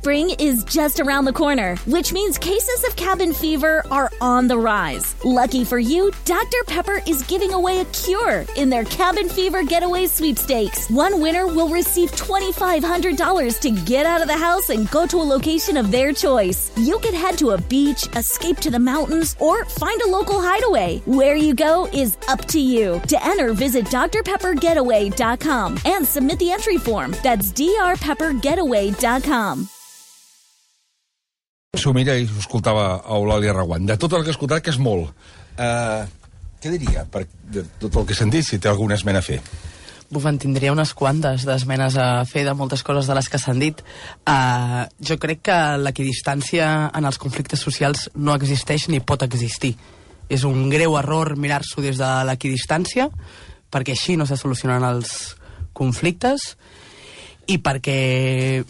Spring is just around the corner, which means cases of cabin fever are on the rise. Lucky for you, Dr. Pepper is giving away a cure in their Cabin Fever Getaway Sweepstakes. One winner will receive $2,500 to get out of the house and go to a location of their choice. You could head to a beach, escape to the mountains, or find a local hideaway. Where you go is up to you. To enter, visit drpeppergetaway.com and submit the entry form. That's drpeppergetaway.com. S'ho mira i ho escoltava a Eulàlia Reguant. De tot el que he escoltat, que és molt. Què diria de tot el que he sentit, si té alguna esmena a fer? En tindria unes quantes d'esmenes a fer de moltes coses de les que s'han dit. Jo crec que l'equidistància en els conflictes socials no existeix ni pot existir. És un greu error mirar-s'ho des de l'equidistància, perquè així no se solucionen els conflictes i perquè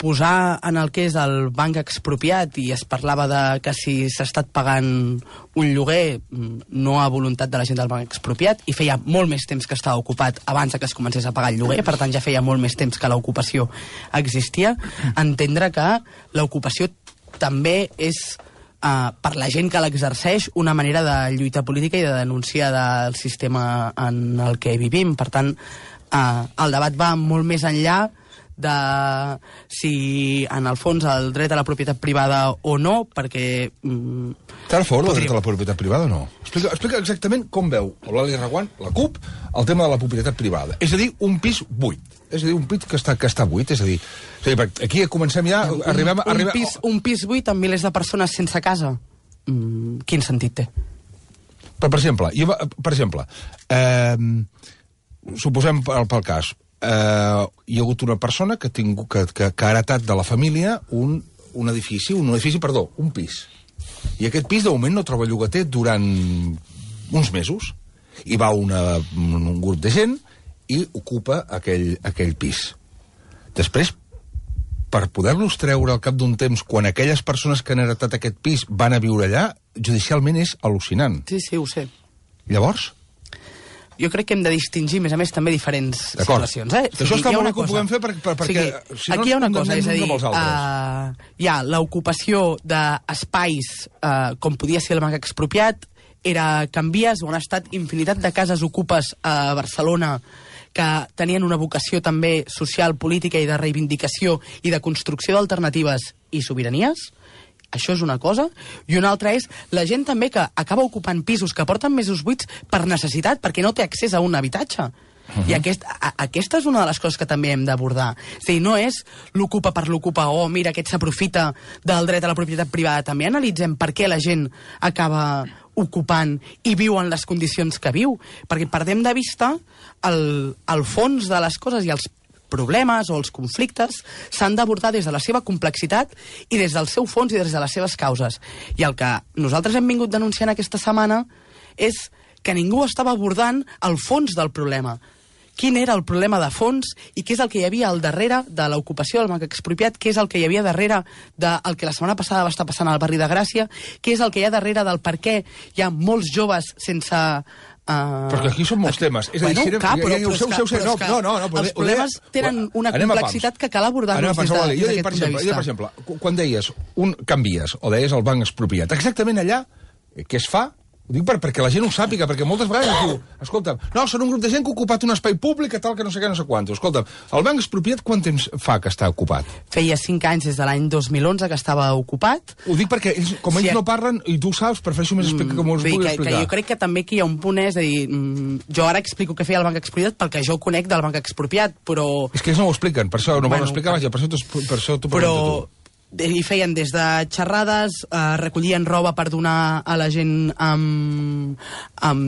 posar en el que és el banc expropiat, i es parlava de que si s'ha estat pagant un lloguer no a voluntat de la gent del banc expropiat, i feia molt més temps que estava ocupat abans que es comencés a pagar el lloguer, per tant ja feia molt més temps que l'ocupació existia, entendre que l'ocupació també és per la gent que l'exerceix una manera de lluita política i de denúncia del sistema en el que vivim. Per tant, el debat va molt més enllà de si en el fons el dret a la propietat privada o no, perquè... Està a favor del dret a la propietat privada o no? Explica exactament com veu Eulàlia Reguant, la CUP, el tema de la propietat privada. És a dir, un pis buit. És a dir, un pis que està buit. És a dir, aquí comencem ja... Un pis buit amb milers de persones sense casa. Quin sentit té? Per exemple, suposem pel cas, hi ha hagut una persona que ha heretat de la família un pis. I aquest pis, de moment, no troba llogater durant uns mesos. I va un grup de gent i ocupa aquell pis. Després, per poder-los treure al cap d'un temps, quan aquelles persones que han heretat aquest pis van a viure allà, judicialment és al·lucinant. Sí, ho sé. Llavors? Jo crec que hem de distingir, a més també, diferents situacions. Això està molt bé que ho puguem fer perquè... Aquí hi ha una cosa, és a dir, hi ha l'ocupació d'espais, com podia ser el banc expropiat, era canvies, on ha estat infinitat de cases ocupes a Barcelona que tenien una vocació també social, política i de reivindicació i de construcció d'alternatives i sobiranies. Això és una cosa. I una altra és la gent també que acaba ocupant pisos que porten mesos buits per necessitat, perquè no té accés a un habitatge. I aquesta és una de les coses que també hem d'abordar. És a dir, no és l'ocupa per l'ocupa, mira, aquest s'aprofita del dret a la propietat privada. També analitzem per què la gent acaba ocupant i viu en les condicions que viu. Perquè perdem de vista el fons de les coses i els problemes o els conflictes s'han d'abordar des de la seva complexitat i des del seu fons i des de les seves causes. I el que nosaltres hem vingut denunciant aquesta setmana és que ningú estava abordant el fons del problema. Quin era el problema de fons i què és el que hi havia al darrere de l'ocupació del banc expropiat, què és el que hi havia darrere del que la setmana passada va estar passant al barri de Gràcia, què és el que hi ha darrere del per què hi ha molts joves sense... Però aquí són molts temes. És a dir, els problemes tenen una complexitat que cal abordar-los des d'aquest punt de vista. Per exemple, quan deies canvies, o deies el banc expropiat, exactament allà, què es fa? Ho dic perquè la gent ho sàpiga, perquè moltes vegades diu, escolta, no, són un grup de gent que ha ocupat un espai públic, tal, que no sé què, no sé quant. Escolta, el banc expropiat quant temps fa que està ocupat? Feia 5 anys, des de l'any 2011, que estava ocupat. Ho dic perquè, com ells no parlen, i tu ho saps, prefereixo més explicar com us vull explicar. Jo crec que també aquí hi ha un punt, és a dir, jo ara explico què feia el banc expropiat perquè jo conec del banc expropiat, però... És que ells no ho expliquen, per això no volen explicar, vaja, per això t'ho pregunto tu. I feien des de xerrades, recollien roba per donar a la gent amb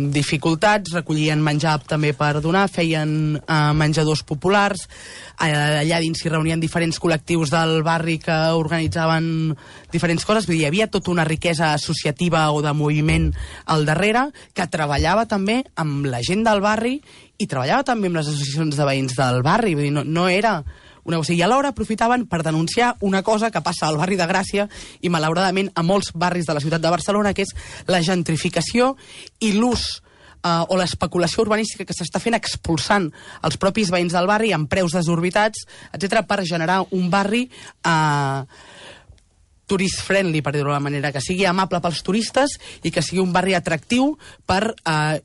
dificultats, recollien menjar també per donar, feien menjadors populars, allà dins s'hi reunien diferents col·lectius del barri que organitzaven diferents coses, vull dir, hi havia tota una riquesa associativa o de moviment al darrere, que treballava també amb la gent del barri i treballava també amb les associacions de veïns del barri, vull dir, no era... I alhora aprofitaven per denunciar una cosa que passa al barri de Gràcia i malauradament a molts barris de la ciutat de Barcelona, que és la gentrificació i l'ús o l'especulació urbanística que s'està fent expulsant els propis veïns del barri amb preus desorbitats, etc., per generar un barri tourist-friendly, per dir-ho de la manera, que sigui amable pels turistes i que sigui un barri atractiu per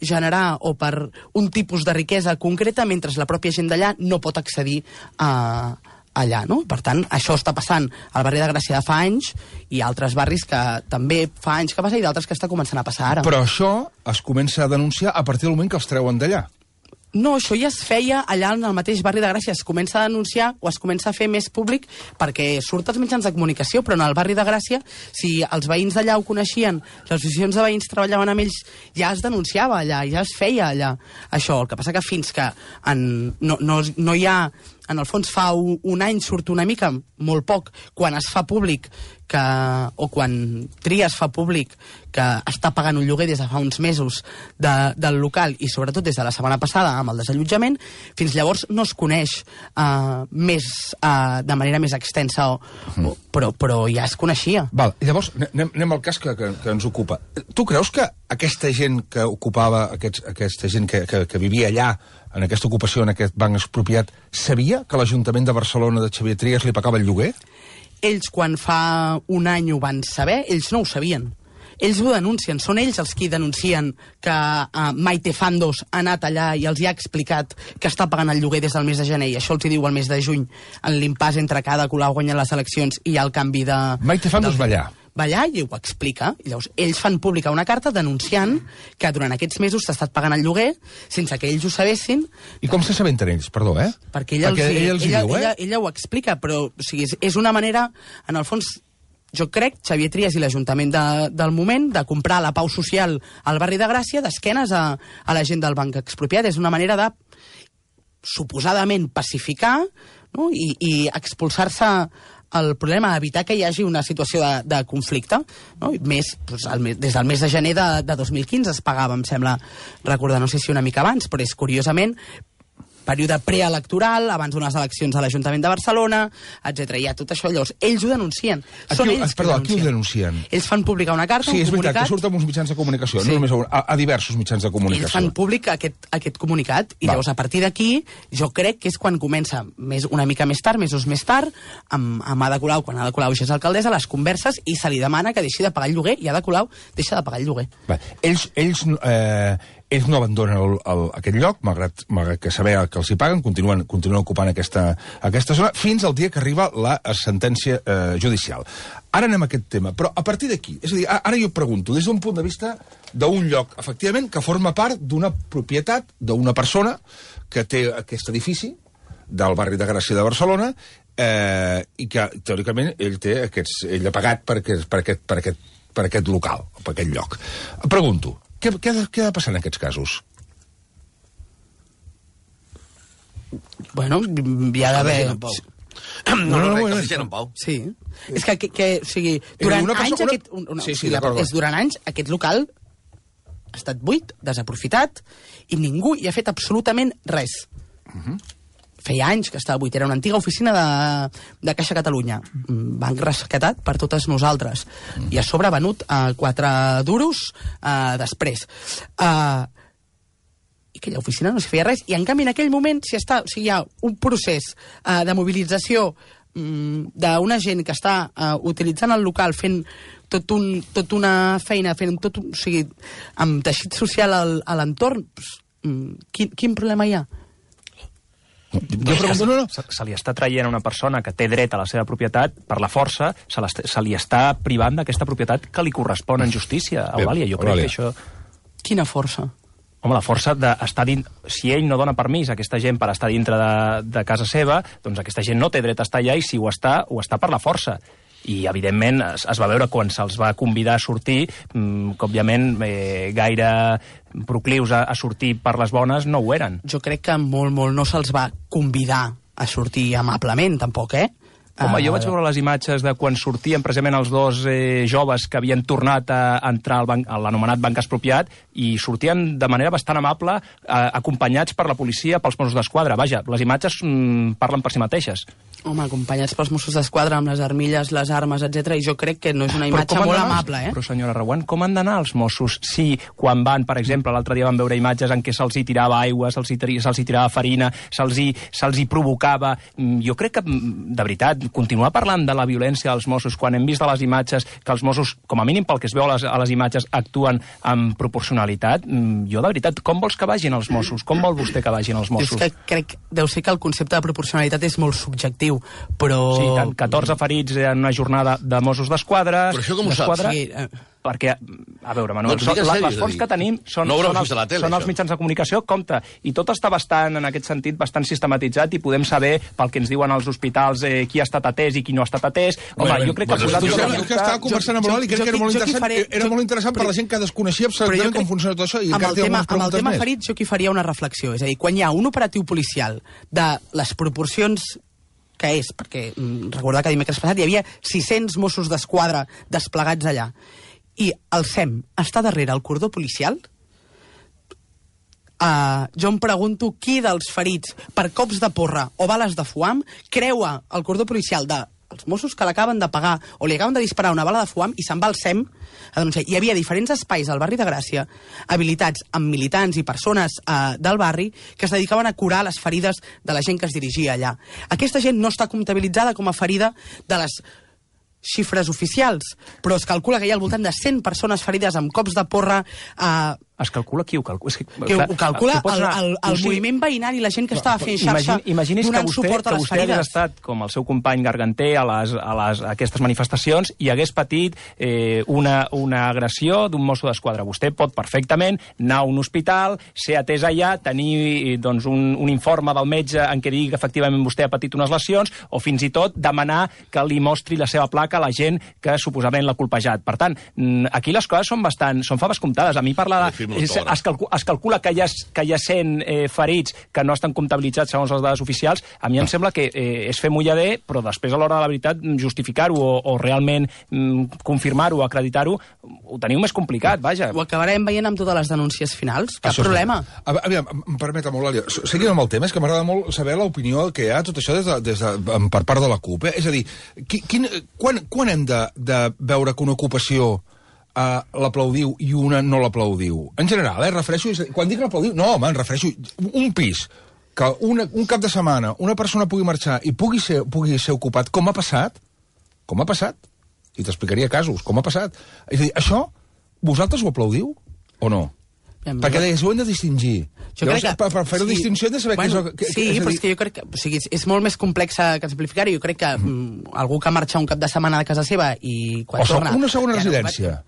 generar o per un tipus de riquesa concreta, mentre la pròpia gent d'allà no pot accedir allà, no? Per tant, això està passant al barri de Gràcia de fa anys i altres barris que també fa anys que passa i d'altres que està començant a passar ara. Però això es comença a denunciar a partir del moment que els treuen d'allà. No, això ja es feia allà en el mateix barri de Gràcia. Es comença a denunciar o es comença a fer més públic perquè surt als mitjans de comunicació, però en el barri de Gràcia, si els veïns d'allà ho coneixien, les associacions de veïns treballaven amb ells, ja es denunciava allà, ja es feia allà això. El que passa que fins que no hi ha... En el fons, fa un any surt una mica, molt poc, quan es fa públic o quan Trias fa públic que està pagant un lloguer des de fa uns mesos del local i sobretot des de la setmana passada amb el desallotjament, fins llavors no es coneix de manera més extensa, però ja es coneixia. Val, llavors anem al cas que ens ocupa. Tu creus que aquesta gent que ocupava, aquesta gent que vivia allà, en aquesta ocupació, en aquest banc expropiat, sabia que l'Ajuntament de Barcelona de Xavier Trias li pagava el lloguer? Ells, quan fa un any ho van saber, ells no ho sabien. Ells ho denuncien, són ells els qui denuncien que Maite Fandos ha anat allà i els hi ha explicat que està pagant el lloguer des del mes de gener, i això els hi diu el mes de juny, en l'impàs entre que Ada Colau guanya les eleccions i hi ha el canvi de... Maite Fandos va allà. Va allà i ho explica. I llavors, ells fan pública una carta denunciant que durant aquests mesos s'ha estat pagant el lloguer sense que ells ho sabessin. I com s'assabenten ells, perdó, Perquè ella ho explica, però o sigui, és una manera, en el fons, jo crec, Xavier Trias i l'Ajuntament del moment, de comprar la pau social al barri de Gràcia d'esquenes a la gent del banc expropiat. És una manera de, suposadament, pacificar, no? I expulsar-se el problema, evitar que hi hagi una situació de conflicte, no? Més, doncs, des del mes de gener de 2015 es pagava, em sembla recordar, no sé si una mica abans, però és curiosament període preelectoral, abans d'unes eleccions a l'Ajuntament de Barcelona, etc. Hi ha tot això. Llavors, ells ho denuncien. Qui ho denuncien? Ells fan pública una carta, un comunicat... Sí, és veritat, que surt amb uns mitjans de comunicació, no només a diversos mitjans de comunicació. Ells fan públic aquest comunicat, i llavors, a partir d'aquí, jo crec que és quan comença, una mica més tard, mesos més tard, amb Ada Colau, quan Ada Colau ja és alcaldessa, les converses, i se li demana que deixi de pagar el lloguer, i Ada Colau deixa de pagar el lloguer. Ells no abandonen aquest lloc, malgrat que saber que els hi paguen, continuen ocupant aquesta zona, fins al dia que arriba la sentència judicial. Ara anem a aquest tema, però a partir d'aquí, és a dir, ara jo pregunto, des d'un punt de vista d'un lloc, efectivament, que forma part d'una propietat d'una persona que té aquest edifici del barri de Gràcia de Barcelona i que, teòricament, ell ha pagat per aquest local, per aquest lloc. Pregunto, què ha de passar en aquests casos? Bueno, hi ha d'haver... No, sí. És que o sigui, durant anys durant anys aquest local ha estat buit, desaprofitat, i ningú hi ha fet absolutament res. Feia anys que estava buit, era una antiga oficina de Caixa Catalunya, banc rescatat per totes nosaltres, i a sobre venut a 4 duros després. I aquella oficina no s'hi feia res, i en canvi en aquell moment hi ha un procés de mobilització d'una gent que està utilitzant el local, fent tot una feina, o sigui, amb teixit social a l'entorn. Quin problema hi ha? Se li està traient a una persona que té dret a la seva propietat per la força, se li està privant d'aquesta propietat que li correspon en justícia, Eulàlia. Jo crec que això... Quina força? Home, la força d'estar dins... Si ell no dona permís a aquesta gent per estar dintre de casa seva, doncs aquesta gent no té dret a estar allà, i si ho està per la força. I, evidentment, es va veure quan se'ls va convidar a sortir, que, òbviament, gaire proclius a sortir per les bones no ho eren. Jo crec que molt no se'ls va convidar a sortir amablement, tampoc, Home, jo vaig veure les imatges de quan sortien precisament els dos joves que havien tornat a entrar a l'anomenat banc expropiat i sortien de manera bastant amable, acompanyats per la policia, pels Mossos d'Esquadra. Vaja, les imatges parlen per si mateixes. Home, acompanyats pels Mossos d'Esquadra amb les armilles, les armes, etc. I jo crec que no és una imatge molt amable, Però, senyora Reguant, com han d'anar els Mossos si quan van, per exemple, l'altre dia vam veure imatges en què se'ls hi tirava aigua, se'ls hi tirava farina, se'ls hi provocava... Jo crec que, de veritat, continuar parlant de la violència dels Mossos quan hem vist a les imatges que els Mossos, com a mínim pel que es veu a les imatges, actuen amb proporcionalitat, jo, de veritat, com vols que vagin els Mossos? Com vol vostè que vagin els Mossos? És que crec, deu ser que el concepte de proporcionalitat és molt subjectiu, però... Sí, tant, 14 ferits en una jornada de Mossos d'Esquadra... Però això com ho saps? Sí, perquè, a veure, Manuel, les fonts que tenim són els mitjans de comunicació, compte, i tot està bastant, en aquest sentit, bastant sistematitzat i podem saber, pel que ens diuen als hospitals, qui ha estat atès i qui no ha estat atès. Home, jo crec que... Que estava conversant amb l'Oli, crec que era molt interessant per la gent que desconeixia absolutament com funciona tot això. Amb el tema ferits, jo aquí faria una reflexió. És a dir, quan hi ha un operatiu policial de les proporcions que és, perquè recordar que dimecres passat hi havia 600 Mossos d'Esquadra desplegats allà, i el SEM està darrere el cordó policial, jo em pregunto qui dels ferits per cops de porra o bales de foam creua el cordó policial dels Mossos que l'acaben de pagar o li acaben de disparar una bala de foam i se'n va al SEM a denunciar. Hi havia diferents espais al barri de Gràcia habilitats amb militants i persones del barri que es dedicaven a curar les ferides de la gent que es dirigia allà. Aquesta gent no està comptabilitzada com a ferida de les xifres oficials, però es calcula que hi ha al voltant de 100 persones ferides amb cops de porra. Es calcula qui ho calcula? Ho calcula el moviment veïnal i la gent que estava fent xarxa donant suport a les ferides. Imagini's que vostè hagués estat, com el seu company Garganter, a aquestes manifestacions i hagués patit una agressió d'un mosso d'esquadra. Vostè pot perfectament anar a un hospital, ser atès allà, tenir un informe del metge en què digui que efectivament vostè ha patit unes lesions o fins i tot demanar que li mostri la seva placa a la gent que suposament l'ha colpejat. Per tant, aquí les coses són faves comptades. A mi parlar es calcula que hi ha 100 ferits que no estan comptabilitzats segons les dades oficials. A mi em sembla que és fer mullader, però després a l'hora de la veritat justificar-ho o realment confirmar-ho, acreditar-ho, ho teniu més complicat, vaja. Ho acabarem veient amb totes les denúncies finals, cap problema. Aviam, em permet, Eulàlia, seguint amb el tema, és que m'agrada molt saber l'opinió que hi ha tot això per part de la CUP. És a dir, quan hem de veure que una ocupació l'aplaudiu i una no l'aplaudiu? En general, refereixo... Quan dic l'aplaudiu, no, home, em refereixo un pis, que un cap de setmana una persona pugui marxar i pugui ser ocupat, com ha passat? Com ha passat? I t'explicaria casos, com ha passat. És a dir, això, vosaltres ho aplaudiu o no? Perquè deies, ho hem de distingir. Per fer-ho distinció hem de saber què és... Sí, però és que jo crec que és molt més complex que simplificar-ho. Jo crec que algú que marxa un cap de setmana de casa seva i quan torna... Una segona residència.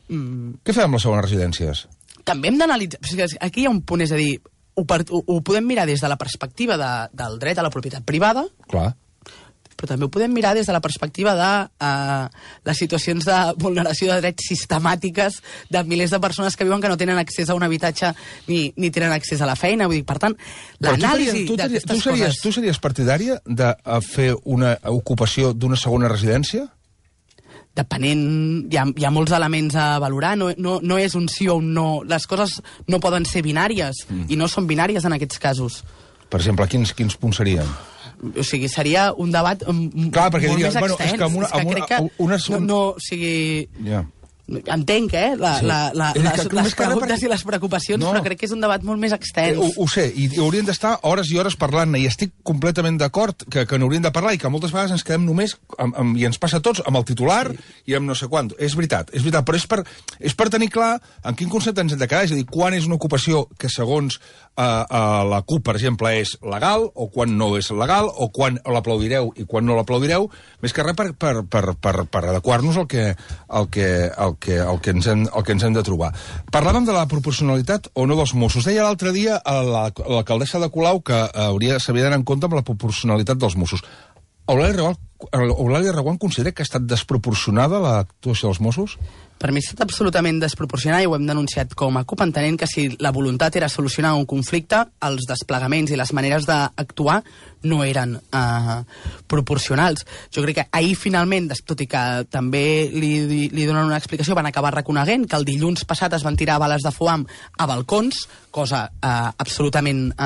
Què fem amb les segones residències? També hem d'analitzar... Aquí hi ha un punt, és a dir, ho podem mirar des de la perspectiva del dret a la propietat privada, clar, però també ho podem mirar des de la perspectiva de les situacions de vulneració de drets sistemàtiques de milers de persones que viuen que no tenen accés a un habitatge ni tenen accés a la feina. Vull dir, per tant, l'anàlisi d'aquestes coses... Tu series partidària de fer una ocupació d'una segona residència? Depenent, hi ha molts elements a valorar, no és un sí o un no. Les coses no poden ser binàries, i no són binàries en aquests casos. Per exemple, quins punts serien? O sigui, seria un debat molt més extens. O sigui... Entenc, les preguntes i les preocupacions, però crec que és un debat molt més extens. Ho sé, i haurien d'estar hores i hores parlant-ne, i estic completament d'acord que n'hauríem de parlar i que moltes vegades ens quedem només, i ens passa a tots, amb el titular i amb no sé quant. És veritat, però és per tenir clar en quin concepte ens hem de quedar, és a dir, quan és una ocupació que segons la CUP, per exemple, és legal, o quan no és legal, o quan l'aplaudireu i quan no l'aplaudireu, més que res per adequar-nos al que ens hem de trobar. Parlàvem de la proporcionalitat o no dels Mossos. Deia l'altre dia l'alcaldessa de Colau que s'havia d'anar en compte amb la proporcionalitat dels Mossos. Eulàlia Reguant, Eulàlia Reguant considera que ha estat desproporcionada l'actuació dels Mossos? Per mi ha estat absolutament desproporcionat i ho hem denunciat com a CUP, entenent que si la voluntat era solucionar un conflicte, els desplegaments i les maneres d'actuar no eren proporcionals. Jo crec que ahir finalment, tot i que també li donen una explicació, van acabar reconeguent que el dilluns passat es van tirar bales de foam a balcons, cosa absolutament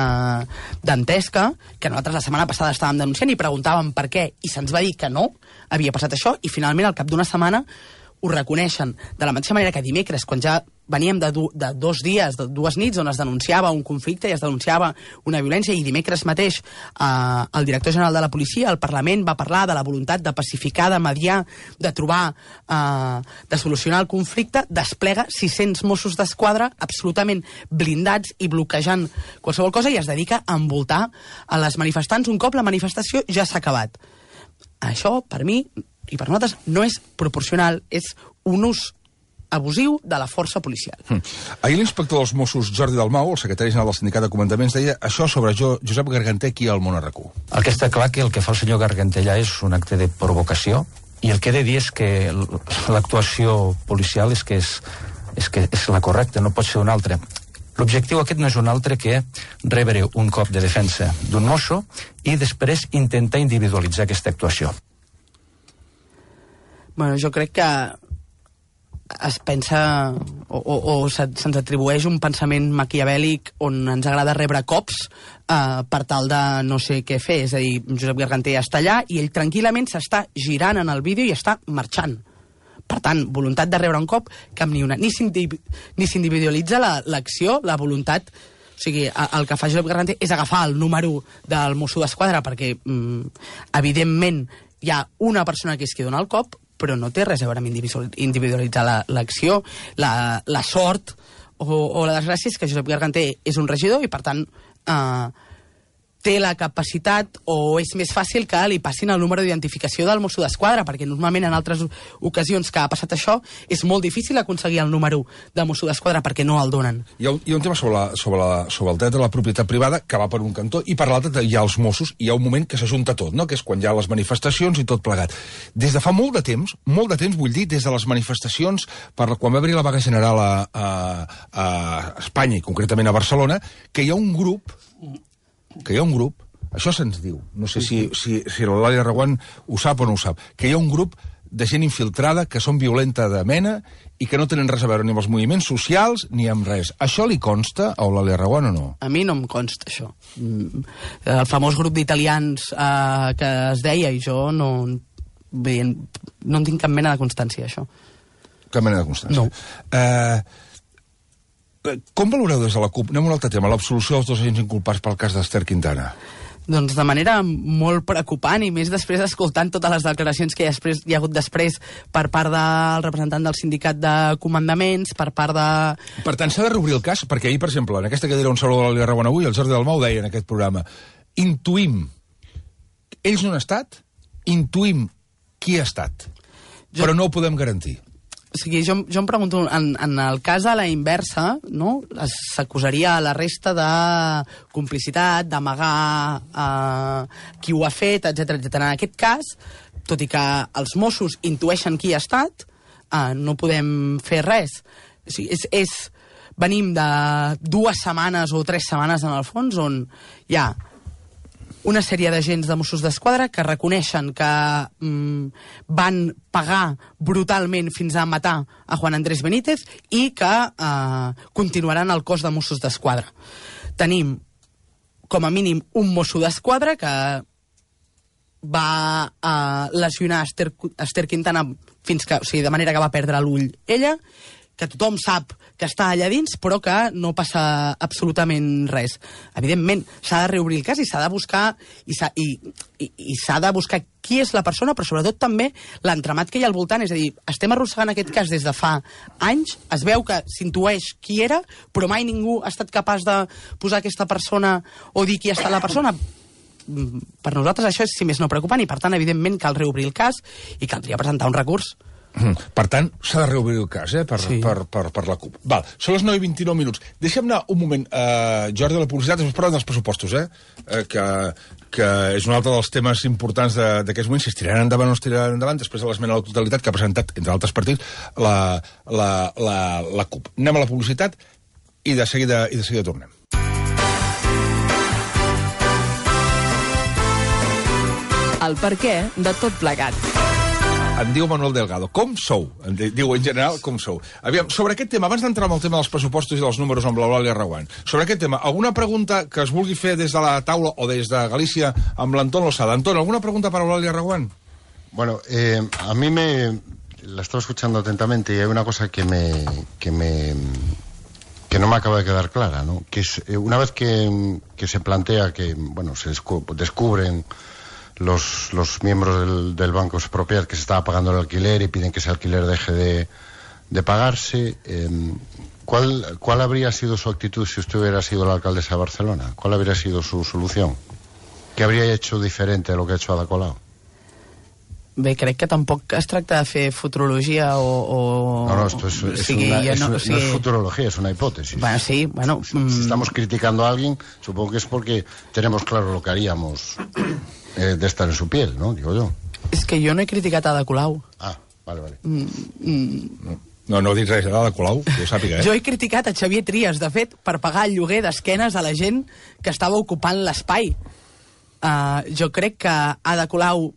dantesca, que nosaltres la setmana passada estàvem denunciant i preguntàvem per què, i se'ns va dir que no havia passat això, i finalment al cap d'una setmana ho reconeixen, de la mateixa manera que dimecres, quan ja veníem de 2 dies, de 2 nits, on es denunciava un conflicte i es denunciava una violència, i dimecres mateix el director general de la policia, al Parlament, va parlar de la voluntat de pacificar, de mediar, de trobar, de solucionar el conflicte, desplega 600 Mossos d'Esquadra absolutament blindats i bloquejant qualsevol cosa, i es dedica a envoltar a les manifestants un cop la manifestació ja s'ha acabat. Això, per mi, i per nosaltres, no és proporcional, és un ús abusiu de la força policial. Ahir l'inspector dels Mossos, Jordi Dalmau, el secretari general del Sindicat de Comandaments, deia això sobre Josep Garganter aquí al Món RQ. El que està clar que el que fa el senyor Garganter allà és un acte de provocació, i el que he de dir és que l'actuació policial és la correcta, no pot ser una altra. L'objectiu aquest no és un altre que rebre un cop de defensa d'un mosso i després intentar individualitzar aquesta actuació. Bueno, jo crec que es pensa o se'ns atribueix un pensament maquiavèlic on ens agrada rebre cops per tal de no sé què fer. És a dir, Josep Garganter està allà i ell tranquil·lament s'està girant en el vídeo i està marxant. Per tant, voluntat de rebre un cop, cap ni una. Ni s'individualitza l'acció, la voluntat. O sigui, el que fa Josep Garganter és agafar el número del Mosso d'Esquadra perquè, evidentment, hi ha una persona que és qui dona el cop, però no té res a veure amb individualitzar l'acció, la sort o la desgràcia és que Josep Garganter és un regidor i, per tant, té la capacitat o és més fàcil que li passin el número d'identificació del Mosso d'Esquadra, perquè normalment en altres ocasions que ha passat això és molt difícil aconseguir el número de Mosso d'Esquadra perquè no el donen. Hi ha un tema sobre el dret de la propietat privada que va per un cantó i per l'altre hi ha els Mossos i hi ha un moment que s'ajunta tot, no? Que és quan hi ha les manifestacions i tot plegat. Des de fa molt de temps, vull dir, des de les manifestacions quan va haver la vaga general a Espanya i concretament a Barcelona, que hi ha un grup, això se'ns diu, no sé si l'Eulàlia Reguant ho sap o no ho sap, que hi ha un grup de gent infiltrada que són violenta de mena i que no tenen res a veure ni amb els moviments socials ni amb res. Això li consta a Eulàlia Reguant o no? A mi no em consta això. El famós grup d'italians que es deia, i jo no en tinc cap mena de constància, això. Cap mena de constància? No. Com valoreu des de la CUP, anem a un altre tema, l'absolució dels 2 agents inculpats pel cas d'Ester Quintana? Doncs de manera molt preocupant, i més després escoltant totes les declaracions que hi ha hagut després per part del representant del sindicat de comandaments, per part de... Per tant, s'ha de reobrir el cas, perquè ahir, per exemple, en aquesta cadira on s'haurà l'Eulàlia Reguant avui, el Jordi Dalmau deia en aquest programa, intuïm, ells no han estat, intuïm qui ha estat, però no ho podem garantir. O sigui, jo em pregunto, en el cas a la inversa, no? S'acusaria a la resta de complicitat, d'amagar qui ho ha fet, etc. En aquest cas, tot i que els Mossos intueixen qui ha estat, no podem fer res. O sigui, venim de 2 setmanes o 3 setmanes, en el fons, on hi ha una sèrie d'agents de Mossos d'Esquadra que reconeixen que van pagar brutalment fins a matar a Juan Andrés Benítez i que continuaran al cos de Mossos d'Esquadra. Tenim, com a mínim, un Mosso d'Esquadra que va lesionar Ester Quintana de manera que va perdre l'ull ella, que tothom sap que està allà dins, però que no passa absolutament res. Evidentment, s'ha de reobrir el cas i s'ha de buscar i s'ha de buscar qui és la persona, però sobretot també l'entramat que hi ha al voltant. És a dir, estem arrossegant aquest cas des de fa anys, es veu que s'intueix qui era, però mai ningú ha estat capaç de posar aquesta persona o dir qui ha estat la persona. Per nosaltres això és, si més no, preocupant, i per tant, evidentment, cal reobrir el cas i caldria presentar un recurs Per tant, s'ha de reobrir el cas, per la CUP. Val, són les 9:29 minuts. Deixa'm anar un moment, Jordi, de la publicitat, després parlem dels pressupostos, que és un altre dels temes importants d'aquests moments, si es tiraran endavant o no es tiraran endavant, després de l'esmena a la totalitat que ha presentat, entre altres partits, la CUP. Anem a la publicitat i de seguida tornem. El perquè de tot plegat. Em diu Manuel Delgado, com sou? Em diu en general, com sou? Aviam, sobre aquest tema, abans d'entrar en el tema dels pressupostos i dels números amb l'Eulàlia Reguant, sobre aquest tema, alguna pregunta que es vulgui fer des de la taula o des de Galícia amb l'Anton Losada? Anton, ¿alguna pregunta para Eulàlia Reguant? Bueno, a mí la estaba escuchando atentamente y hay una cosa que no me acaba de quedar clara, ¿no? Que es, una vez que se plantea que, bueno, se descubren los miembros del Banco Expropiat que se estaba pagando el alquiler y piden que ese alquiler deje de pagarse, ¿cuál habría sido su actitud si usted hubiera sido la alcaldesa de Barcelona? ¿Cuál habría sido su solución? ¿Qué habría hecho diferente de lo que ha hecho Ada Colau? Bé, crec que tampoc es tracta de fer futurologia o... No, esto no es futurología, es una hipótesis. Bueno, sí, bueno... Si estamos criticando a alguien, supongo que es porque tenemos claro lo que haríamos de estar en su piel, ¿no? Digo yo. És que jo no he criticat Ada Colau. Ah, vale. No dic res d'Ada Colau, que ho sàpiga, Jo he criticat a Xavier Trias, de fet, per pagar el lloguer d'esquenes a la gent que estava ocupant l'espai. Jo crec que Ada Colau...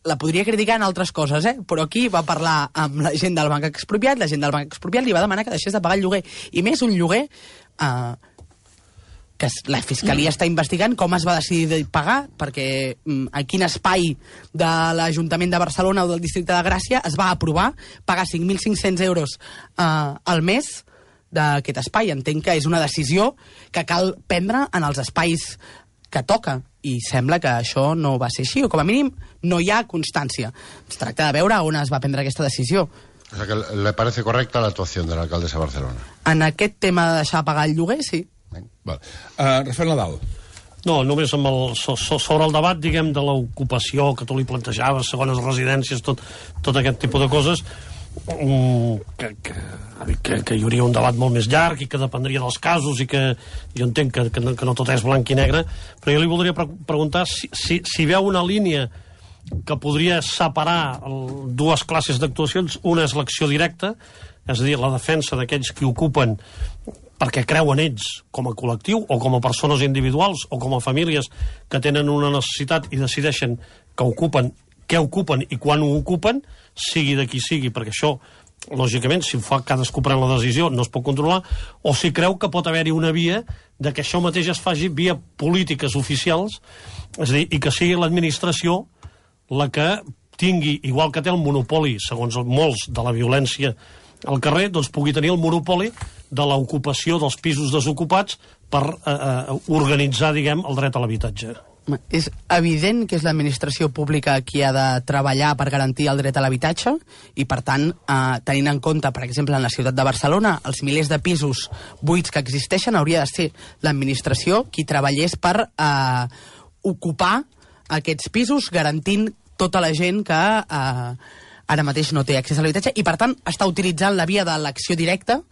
la podria criticar en altres coses, però aquí va parlar amb la gent del Banc Expropiat, la gent del Banc Expropiat li va demanar que deixés de pagar el lloguer, i més un lloguer que la Fiscalia està investigant com es va decidir pagar, perquè en quin espai de l'Ajuntament de Barcelona o del Districte de Gràcia es va aprovar pagar 5.500 euros al mes d'aquest espai. Entenc que és una decisió que cal prendre en els espais que toca, i sembla que això no va ser així, o com a mínim no hi ha constància. Es tracta de veure on es va prendre aquesta decisió. O sea que le parece correcta la actuación de la alcaldesa de Barcelona. En aquest tema de deixar pagar el lloguer, sí. Rafael Nadal. No, només sobre el debat, diguem, de l'ocupació que tu li plantejaves, segones residències, tot aquest tipus de coses, que hi hauria un debat molt més llarg i que dependria dels casos i que jo entenc que no tot és blanc i negre, però jo li voldria preguntar si veu una línia que podria separar dues classes d'actuacions. Una és l'acció directa, és a dir, la defensa d'aquells que ocupen perquè creuen ells com a col·lectiu o com a persones individuals o com a famílies que tenen una necessitat i decideixen que ocupen, què ocupen i quan ho ocupen, sigui de qui sigui, perquè això, lògicament, si fa cadascú pren la decisió, no es pot controlar, o si creu que pot haver-hi una via de que això mateix es faci via polítiques oficials, és a dir, i que sigui l'administració la que tingui, igual que té el monopoli, segons molts, de la violència al carrer, doncs pugui tenir el monopoli de l'ocupació dels pisos desocupats per organitzar, diguem, el dret a l'habitatge. És evident que és l'administració pública qui ha de treballar per garantir el dret a l'habitatge i, per tant, tenint en compte, per exemple, en la ciutat de Barcelona, els milers de pisos buits que existeixen, hauria de ser l'administració qui treballés per ocupar aquests pisos, garantint tota la gent que ara mateix no té accés a l'habitatge i, per tant, està utilitzant la via de l'acció directa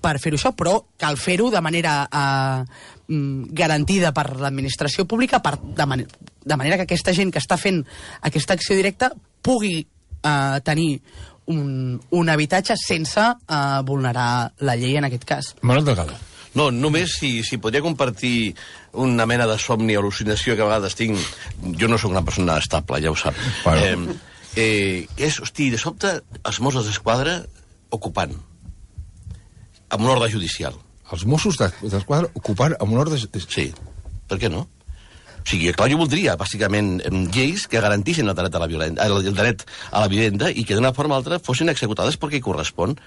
per fer-ho això, però cal fer-ho de manera garantida per l'administració pública, de manera que aquesta gent que està fent aquesta acció directa pugui tenir un habitatge sense vulnerar la llei en aquest cas. Manuel Delgado. No, només si podria compartir una mena de somni o al·lucinació que a vegades tinc. Jo no sóc una persona estable, ja ho sap. Bueno. Hosti, de sobte, els Mossos d'Esquadra ocupant amb un ordre judicial. Els Mossos d'Esquadra ocupant amb un ordre judicial? Sí, per què no? O sigui, clar, jo voldria, bàsicament, lleis que garantissin el dret a la vivenda i que d'una forma o altra fossin executades perquè hi correspon.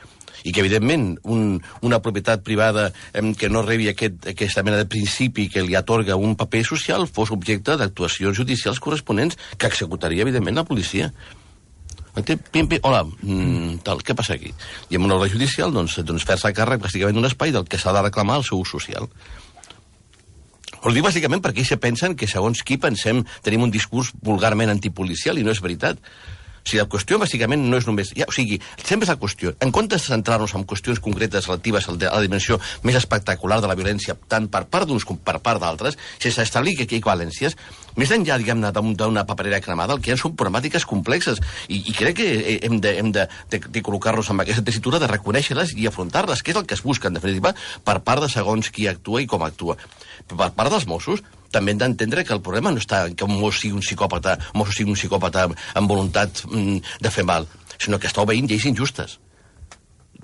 I que, evidentment, una propietat privada que no rebi aquesta mena de principi que li atorga un paper social fos objecte d'actuacions judicials corresponents que executaria, evidentment, la policia. Hola, què passa aquí? I amb un ordre judicial, doncs fer-se càrrec bàsicament d'un espai del que s'ha de reclamar el seu ús social. Ho dic bàsicament perquè ells pensen que segons qui tenim un discurs vulgarment antipolicial i no és veritat. O sigui, la qüestió, bàsicament, no és només... O sigui, sempre és la qüestió. En comptes de centrar-nos en qüestions concretes relatives a la dimensió més espectacular de la violència, tant per part d'uns com per part d'altres, sense establir que hi ha equivalències, més enllà, diguem-ne, d'una paperera cremada, el que hi ha són problemàtiques complexes. I crec que hem de col·locar-nos en aquesta tessitura de reconèixer-les i afrontar-les, que és el que es busca, en definitiva, per part de segons qui actua i com actua. Per part dels Mossos, també hem d'entendre que el problema no està en que un mosso sigui un psicòpata amb voluntat de fer mal, sinó que està obeint lleis injustes.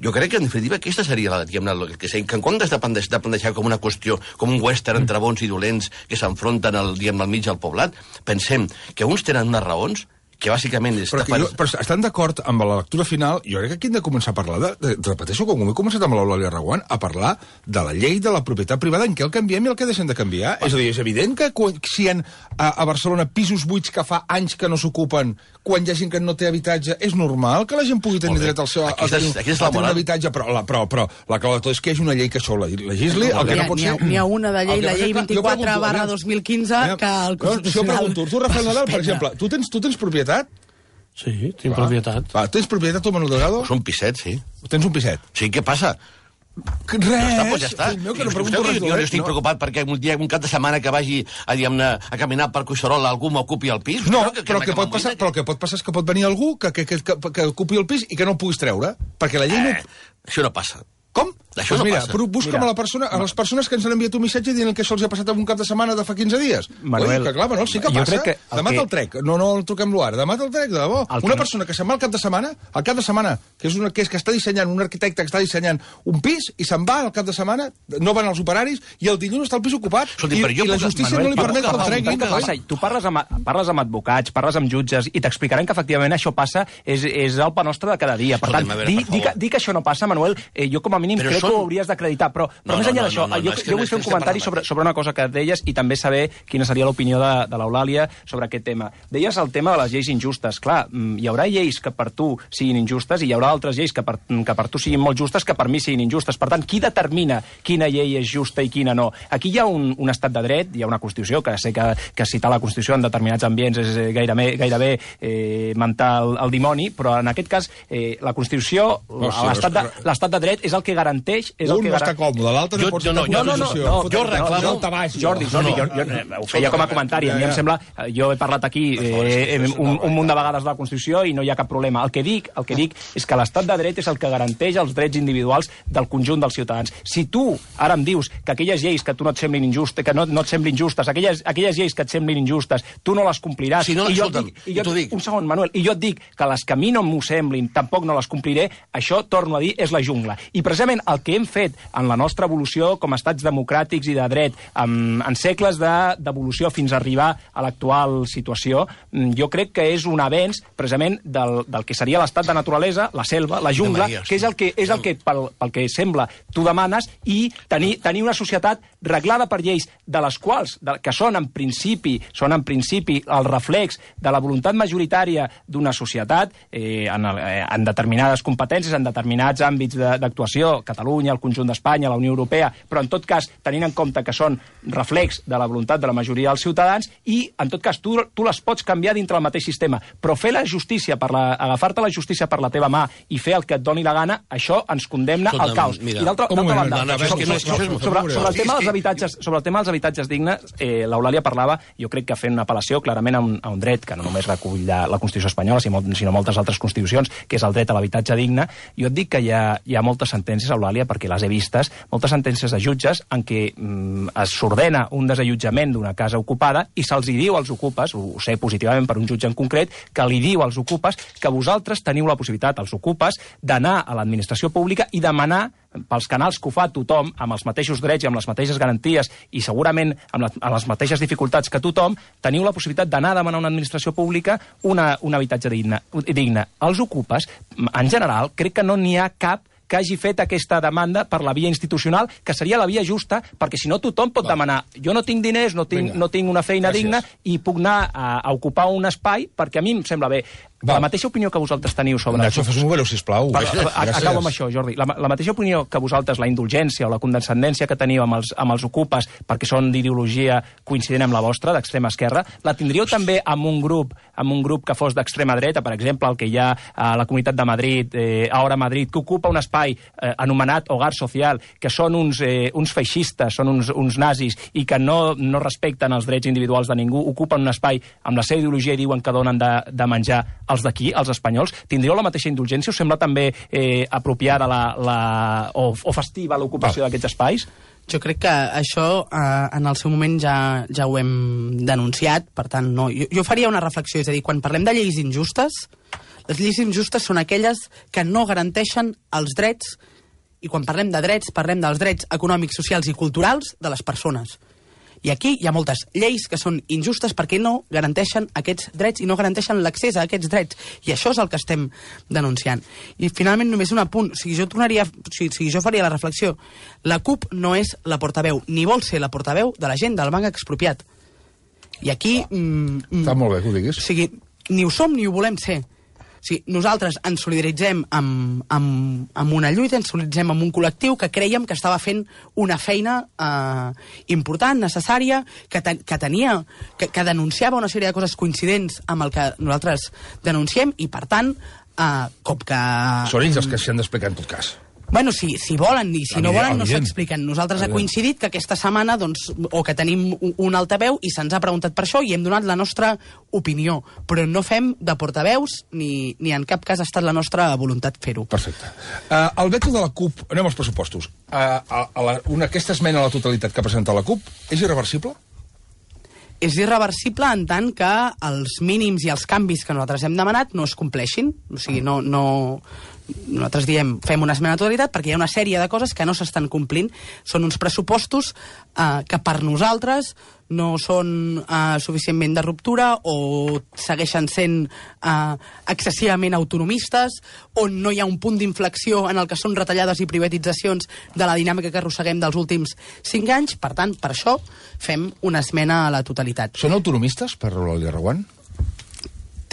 Jo crec que, en definitiva, aquesta seria que en comptes de plantejar com una qüestió, com un western entre bons i dolents que s'enfronten al mig del poblat, pensem que uns tenen unes raons que bàsicament... Però estan d'acord amb la lectura final? Jo crec que aquí hem de començar a parlar repeteixo, com he començat amb l'Eulàlia Reguant, a parlar de la llei de la propietat privada, en què el canviem i el que deixem de canviar. És a dir, és evident que si hi ha a Barcelona pisos buits que fa anys que no s'ocupen, quan hi ha gent que no té habitatge, és normal que la gent pugui tenir dret al seu un habitatge, però la clau de tot és que hi hagi una llei que això legisli, el que no pot ser... N'hi ha una de llei, la llei 24/2015, que el Constitucional... Jo pregunto, tu, Rafael Nadal, per exemple, tu tens propietat? Sí, tinc propietat. Tens propietat, tu, Manuel Delgado? És un piset, sí. Tens un piset? Sí, què passa? Res! Ja està. Meu, que no pregunto res jo estic preocupat perquè un cap de setmana que vagi a caminar per Collserola algú m'ocupi el pis. No, però el que pot passar és que pot venir algú que ocupi el pis i que no el puguis treure, perquè la llei no... Això no passa. Com? Això no passa. Busca'm a les persones que ens han enviat un missatge dient que això els ha passat en un cap de setmana de fa 15 dies. Manuel, que clar, Manol, sí que passa. Demà te'l trec. No el truquem-lo ara. Demà te'l trec, de debò. Una persona que se'n va al cap de setmana, que està dissenyant, un arquitecte que està dissenyant un pis, i se'n va al cap de setmana, no van els operaris, i el dilluns està el pis ocupat, i la justícia no li permet que el treguin. Tu parles amb advocats, parles amb jutges, i t'explicaran que efectivament això passa, és el pa nostre de cada dia. Per tant, dir que això no passa, Manuel, jo com a mínim crec que ho hauries d'acreditar, però més enllà d'això, jo vull fer un comentari sobre una cosa que deies i també saber quina seria l'opinió de l'Eulàlia sobre aquest tema. Deies el tema de les lleis injustes. Clar, hi haurà lleis que per tu siguin injustes i hi haurà altres lleis que per tu siguin molt justes que per mi siguin injustes. Per tant, qui determina quina llei és justa i quina no? Aquí hi ha un estat de dret, hi ha una Constitució, que sé que citar la Constitució en determinats ambients és gairebé mentar el dimoni, però en aquest cas la Constitució, l'estat de dret és el que garanteix... Un no està còmode, l'altre no pot estar en posició. Jo reclamo... Jordi, jo ho feia com a comentari. A mi em sembla... Jo he parlat aquí un munt de vegades de la Constitució i no hi ha cap problema. El que dic és que l'estat de dret és el que garanteix els drets individuals del conjunt dels ciutadans. Si tu ara em dius que aquelles lleis que tu no et semblin injustes, que no et semblin justes, aquelles lleis que et semblin injustes, tu no les compliràs. Si no, escolta'm, t'ho dic. Un segon, Manuel, i jo et dic que les que a mi no m'ho semblin, tampoc no les compliré, això, torno a dir, és la jungla. I precisament el que hem fet en la nostra evolució com a estats democràtics i de dret, en segles d'evolució fins a arribar a l'actual situació, jo crec que és un avenç precisament del que seria l'estat de naturalesa, la selva, la jungla, que és el que pel que sembla tu demanes, i tenir una societat reglada per lleis de les quals, que són en principi el reflex de la voluntat majoritària d'una societat en determinades competències, en determinats àmbits d'actuació, Catalunya, el conjunt d'Espanya, la Unió Europea, però en tot cas tenint en compte que són reflex de la voluntat de la majoria dels ciutadans, i en tot cas tu les pots canviar dintre el mateix sistema, però fer la justícia, agafar-te la justícia per la teva mà i fer el que et doni la gana, això ens condemna al caos. I d'altra banda, sobre el tema dels habitatges dignes, l'Eulàlia parlava, jo crec que fent una apel·lació clarament a un dret que no només recull la Constitució espanyola, sinó moltes altres constitucions, que és el dret a l'habitatge digne. Jo et dic que hi ha moltes sentències, Eulàlia, perquè les he vistes, moltes sentències de jutges en què s'ordena un desallotjament d'una casa ocupada i se'ls diu als ocupes, ho sé positivament per un jutge en concret, que li diu als ocupes que vosaltres teniu la possibilitat, els ocupes, d'anar a l'administració pública i demanar pels canals que ho fa tothom, amb els mateixos drets i amb les mateixes garanties i segurament amb les mateixes dificultats que tothom, teniu la possibilitat d'anar a demanar a una administració pública un habitatge digne. Els ocupes, en general, crec que no n'hi ha cap que hagi fet aquesta demanda per la via institucional, que seria la via justa, perquè si no tothom pot demanar, jo no tinc diners, no tinc una feina digna i puc anar a ocupar un espai perquè a mi em sembla bé. La mateixa opinió que vosaltres teniu sobre... Nacho, fes un número, sisplau. Acabo amb això, Jordi. La mateixa opinió que vosaltres, la indulgència o la condescendència que teniu amb els ocupes, perquè són d'ideologia coincident amb la vostra, d'extrema esquerra, la tindríeu també amb un grup que fos d'extrema dreta, per exemple, el que hi ha a la Comunitat de Madrid, Ahora Madrid, que ocupa un espai anomenat Hogar Social, que són uns feixistes, són uns nazis, i que no respecten els drets individuals de ningú, ocupen un espai amb la seva ideologia i diuen que donen de menjar els d'aquí, els espanyols. Tindríeu la mateixa indulgència? Us sembla també apropiada o festiva l'ocupació d'aquests espais? Jo crec que això en el seu moment ja ho hem denunciat, per tant, no. Jo faria una reflexió, és a dir, quan parlem de lleis injustes, les lleis injustes són aquelles que no garanteixen els drets, i quan parlem de drets, parlem dels drets econòmics, socials i culturals de les persones. I aquí hi ha moltes lleis que són injustes perquè no garanteixen aquests drets i no garanteixen l'accés a aquests drets. I això és el que estem denunciant. I finalment només un apunt. Jo faria la reflexió. La CUP no és la portaveu, ni vol ser la portaveu de la gent del banc expropiat. I aquí... Està molt bé que ho diguis. O sigui, ni ho som ni ho volem ser. Sí, nosaltres ens solidaritzem amb una lluita, ens solidaritzem amb un col·lectiu que creiem que estava fent una feina important, necessària, que denunciava una sèrie de coses coincidents amb el que nosaltres denunciem i, per tant, com que... Són ells els que s'hi han d'explicar en tot cas. Bueno, si volen i si no volen no s'expliquen. Nosaltres ha coincidit que aquesta setmana, doncs, o que tenim un altaveu i se'ns ha preguntat per això i hem donat la nostra opinió, però no fem de portaveus ni en cap cas ha estat la nostra voluntat fer-ho. Perfecte. El veto de la CUP, anem als pressupostos. Aquesta esmena a la totalitat que ha presentat la CUP és irreversible? És irreversible en tant que els mínims i els canvis que nosaltres hem demanat no es compleixin. O sigui, nosaltres diem fem una esmena a la totalitat perquè hi ha una sèrie de coses que no s'estan complint. Són uns pressupostos que per nosaltres no són suficientment de ruptura o segueixen sent excessivament autonomistes, on no hi ha un punt d'inflexió en el que són retallades i privatitzacions de la dinàmica que arrosseguem dels últims 5 anys. Per tant, per això fem una esmena a la totalitat. Són autonomistes, per Eulàlia Reguant?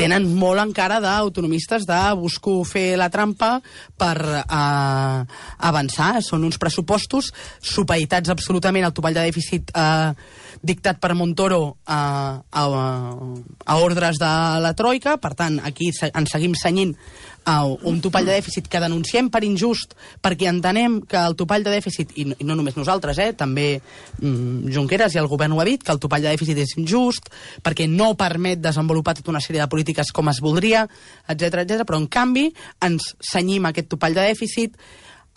Tenen molt encara d'autonomistes de busco fer la trampa per avançar. Són uns pressupostos supeditats absolutament al topall de dèficit dictat per Montoro a ordres de la Troika. Per tant, aquí ens seguim cenyint un topall de dèficit que denunciem per injust, perquè entenem que el topall de dèficit, i no només nosaltres, també Junqueras i el govern ho ha dit, que el topall de dèficit és injust, perquè no permet desenvolupar tota una sèrie de polítiques com es voldria, etc, però en canvi ens cenyim aquest topall de dèficit,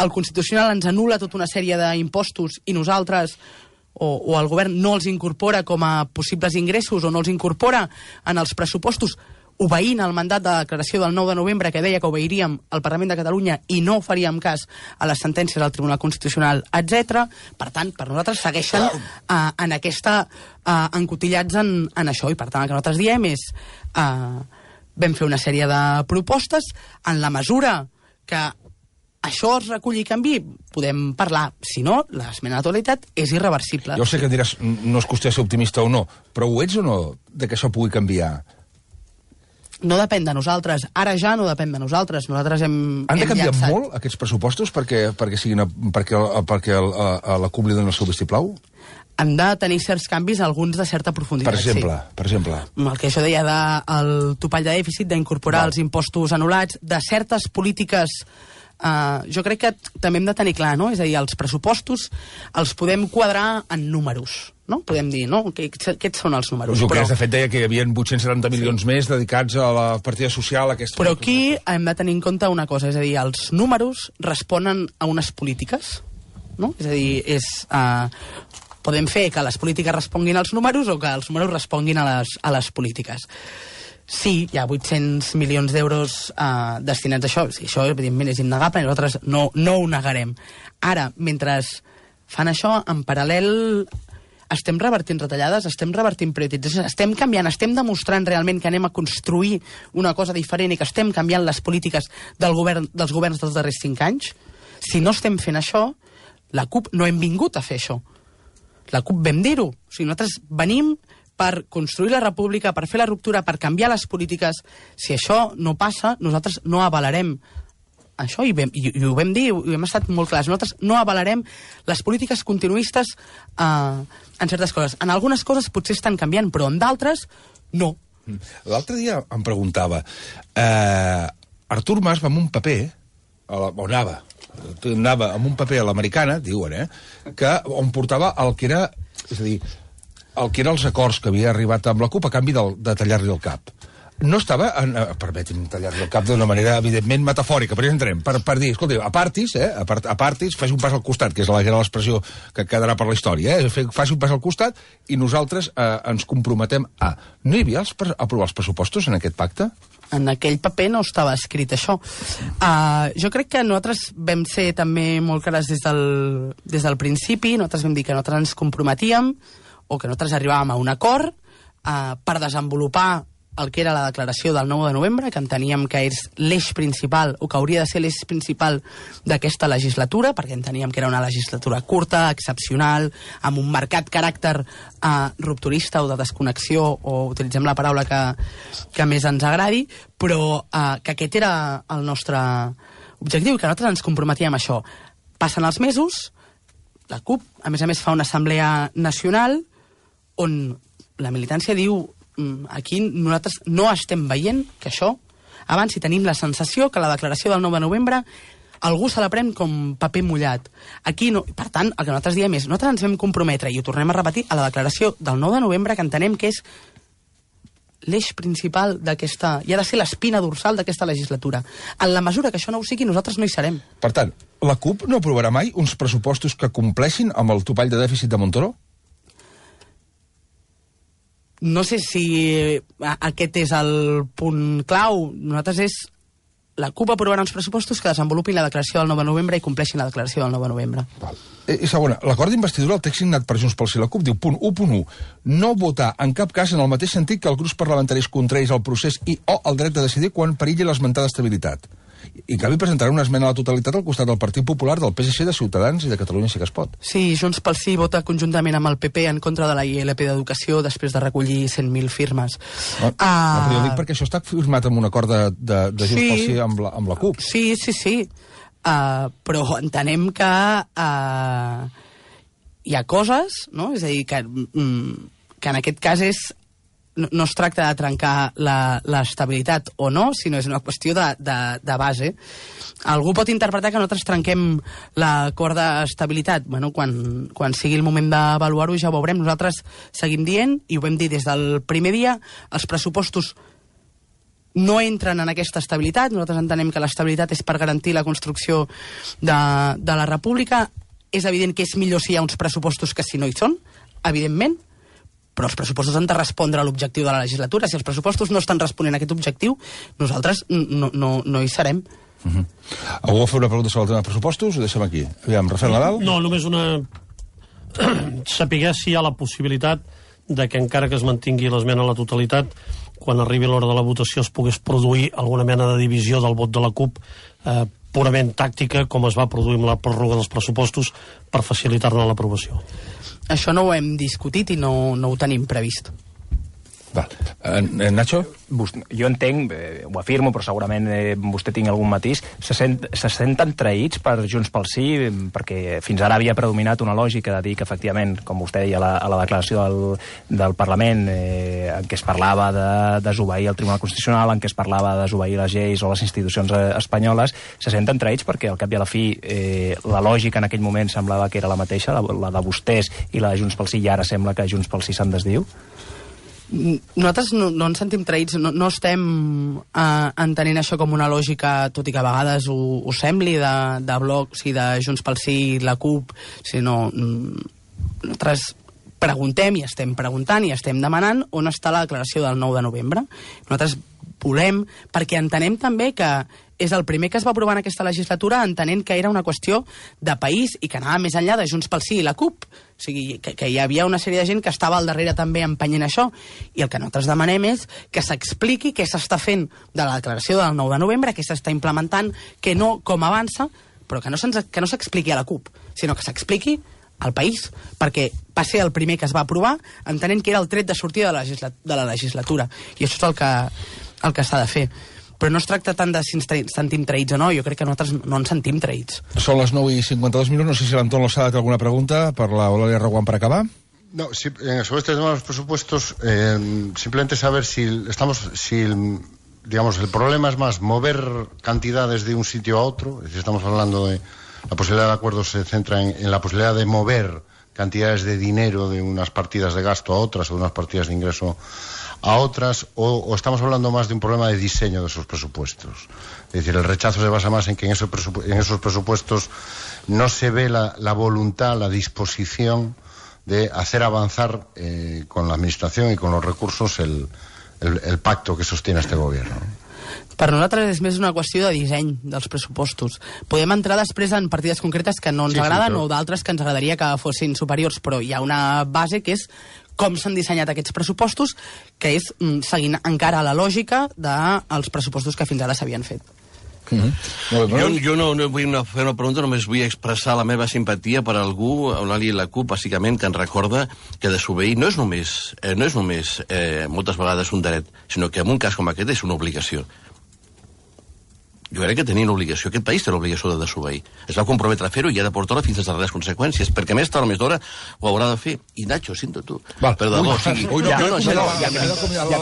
el Constitucional ens anul·la tota una sèrie d'impostos i nosaltres o el govern no els incorpora com a possibles ingressos o no els incorpora en els pressupostos, obeint el mandat de declaració del 9 de novembre que deia que obeiríem al Parlament de Catalunya i no faríem cas a les sentències del Tribunal Constitucional, etc. Per tant, per nosaltres segueixen en aquesta encotillats en això, i per tant el que nosaltres diem és vam fer una sèrie de propostes en la mesura que això es reculli i canvi, podem parlar. Si no, l'esmena a la totalitat és irreversible. Jo sé que diràs, no és qüestió de ser optimista o no, però ho ets o no, de que això pugui canviar? No depèn de nosaltres. Ara ja no depèn de nosaltres. Nosaltres hem canviat llançat molt, aquests pressupostos, perquè la CUP li doni el seu vistiplau? Han de tenir certs canvis, alguns de certa profunditat. Per exemple. El que això deia del topall de dèficit, d'incorporar els impostos anul·lats, de certes polítiques. Jo crec que també hem de tenir clar, no? És a dir, els pressupostos els podem quadrar en números, no? Podem dir, no? Aquests són els números. Junqueras, de fet, deia que hi havia 870 milions més dedicats a la partida social. Però aquí hem de tenir en compte una cosa, és a dir, els números responen a unes polítiques, no? És a dir, podem fer que les polítiques responguin als números o que els números responguin a les polítiques. Sí, hi ha 800 milions d'euros destinats a això. Sí, això, evidentment, és innegable i nosaltres no ho negarem. Ara, mentre fan això, en paral·lel estem revertint retallades, estem revertint prioritzacions, estem canviant, estem demostrant realment que anem a construir una cosa diferent i que estem canviant les polítiques dels governs dels darrers 5 anys. Si no estem fent això, la CUP no hem vingut a fer això. La CUP vam dir-ho. O sigui, nosaltres venim per construir la república, per fer la ruptura, per canviar les polítiques. Si això no passa, nosaltres no avalarem això, i ho vam dir, i hem estat molt clars. Nosaltres no avalarem les polítiques continuistes en certes coses. En algunes coses potser estan canviant, però en d'altres, no. L'altre dia em preguntava, Artur Mas va amb un paper, on anava amb un paper a l'americana, diuen, on portava el que era, és a dir, el que eren els acords que havia arribat amb la CUP a canvi de tallar-li el cap. No estava, permeti'm tallar-li el cap d'una manera, evidentment, metafòrica, però ja entrem, per dir, escolta, apartis, faci un pas al costat, que és l'expressió que quedarà per la història, faci un pas al costat i nosaltres ens comprometem a... No hi havia aprovar els pressupostos en aquest pacte? En aquell paper no estava escrit això. Jo crec que nosaltres vam ser també molt clars des del principi, nosaltres vam dir que nosaltres ens comprometíem o que nosaltres arribàvem a un acord per desenvolupar el que era la declaració del 9 de novembre, que enteníem que és l'eix principal, o que hauria de ser l'eix principal d'aquesta legislatura, perquè enteníem que era una legislatura curta, excepcional, amb un marcat caràcter rupturista o de desconnexió, o utilitzem la paraula que més ens agradi, però que aquest era el nostre objectiu, que nosaltres ens comprometíem a això. Passen els mesos, la CUP, a més, fa una assemblea nacional on la militància diu aquí nosaltres no estem veient que això avanci. Tenim la sensació que la declaració del 9 de novembre algú se la pren com paper mullat. Aquí no. Per tant, el que nosaltres diem és nosaltres ens vam comprometre, i ho tornem a repetir, a la declaració del 9 de novembre, que entenem que és l'eix principal d'aquesta... i ha de ser l'espina dorsal d'aquesta legislatura. En la mesura que això no ho sigui, nosaltres no hi serem. Per tant, la CUP no aprovarà mai uns pressupostos que compleixin amb el topall de dèficit de Montoro? No sé si aquest és el punt clau. Nosaltres és... La CUP aprovarà uns pressupostos que desenvolupin la declaració del 9 de novembre i compleixin la declaració del 9 de novembre. I segona, l'acord d'investidura, el text signat per Junts pel Sí i la CUP, diu, punt 1.1, no votar en cap cas en el mateix sentit que els grups parlamentaris contraris al procés i o el dret de decidir quan perilli l'esmentada estabilitat. I en canvi presentarà una esmena a la totalitat al costat del Partit Popular, del PSC, de Ciutadans i de Catalunya Sí que es pot. Sí, Junts pel Sí vota conjuntament amb el PP en contra de la ILP d'Educació després de recollir 100.000 firmes. Jo dic perquè això està firmat amb un acord de Junts pel Sí amb la CUP. Sí. Però entenem que hi ha coses, no? És a dir, que en aquest cas no es tracta de trencar l'estabilitat o no, sinó és una qüestió de base. Algú pot interpretar que nosaltres trenquem l'acord d'estabilitat. Bueno, quan sigui el moment d'avaluar-ho ja ho veurem. Nosaltres seguim dient, i ho vam dir des del primer dia, els pressupostos no entren en aquesta estabilitat. Nosaltres entenem que l'estabilitat és per garantir la construcció de la república. És evident que és millor si hi ha uns pressupostos que si no hi són, evidentment, però els pressupostos han de respondre a l'objectiu de la legislatura. Si els pressupostos no estan responent a aquest objectiu, nosaltres no hi serem. Algú vol fer una pregunta sobre el tema de pressupostos? Ho deixem aquí. Aviam, Rafael Nadal? No, només una... Saber si hi ha la possibilitat de que encara que es mantingui l'esmena a la totalitat, quan arribi l'hora de la votació es pogués produir alguna mena de divisió del vot de la CUP purament tàctica, com es va produir amb la pròrroga dels pressupostos, per facilitar-ne l'aprovació. Això no ho hem discutit i no ho tenim previst. Val. Nacho? Jo entenc, ho afirmo, però segurament vostè tingui algun matís, se senten traïts per Junts pel Sí, perquè fins ara havia predominat una lògica de dir que, efectivament, com vostè deia a la declaració del Parlament, en què es parlava de desobeir el Tribunal Constitucional, en què es parlava de desobeir les lleis o les institucions espanyoles, se senten traïts perquè, al cap i a la fi, la lògica en aquell moment semblava que era la mateixa, la de vostès i la de Junts pel Sí, i ara sembla que Junts pel Sí se'n desdiu? Nosaltres no ens sentim traïts, no estem entenent això com una lògica, tot i que a vegades ho sembli, de bloc, de Junts pel Sí, la CUP, sinó nosaltres preguntem i estem preguntant i estem demanant on està la declaració del 9 de novembre. Nosaltres volem, perquè entenem també que és el primer que es va aprovar en aquesta legislatura, entenent que era una qüestió de país i que anava més enllà de Junts pel Sí i la CUP. O sigui, que hi havia una sèrie de gent que estava al darrere també empenyent això. I el que nosaltres demanem és que s'expliqui què s'està fent de la declaració del 9 de novembre, què s'està implementant, que no com avança, però que no s'expliqui a la CUP, sinó que s'expliqui al país, perquè va ser el primer que es va aprovar, entenent que era el tret de sortida de la legislatura. I això és el que s'ha de fer. Però no es tracta tant de si ens sentim traïts o no, jo crec que nosaltres no ens sentim traïts. Són les 9:52, no sé si l'Anton Lozada té alguna pregunta per l'Eulàlia Reguant per acabar. No, sobre este tema de los presupuestos, simplemente saber digamos, el problema es más mover cantidades de un sitio a otro, es decir, estamos hablando de la posibilidad de acuerdo se centra en la posibilidad de mover cantidades de dinero de unas partidas de gasto a otras o de unas partidas de ingreso a otras, o estamos hablando más de un problema de diseño de esos presupuestos. Es decir, el rechazo se basa más en que en esos presupuestos no se ve la voluntad, la disposición de hacer avanzar con la administración y con los recursos el pacto que sostiene este gobierno. Per nosaltres és més una qüestió de disseny dels pressupostos. Podem entrar després en partides concretes que no ens agraden o d'altres que ens agradaria que fossin superiors, però hi ha una base que és com s'han dissenyat aquests pressupostos, que és seguint encara la lògica dels pressupostos que fins ara s'havien fet. Jo no vull fer una pregunta, només vull expressar la meva simpatia per algú, Eulàlia i la CUP, bàsicament, que ens recorda que desobeir no és només moltes vegades un dret, sinó que en un cas com aquest és una obligació. Jo crec que tenien l'obligació, aquest país té l'obligació de desobeir. Es va comprometre a fer-ho i ha de portar-ho fins a les darreres conseqüències, perquè més tard o més d'hora ho haurà de fer. I Nacho, sento tu. Val. Però de bo,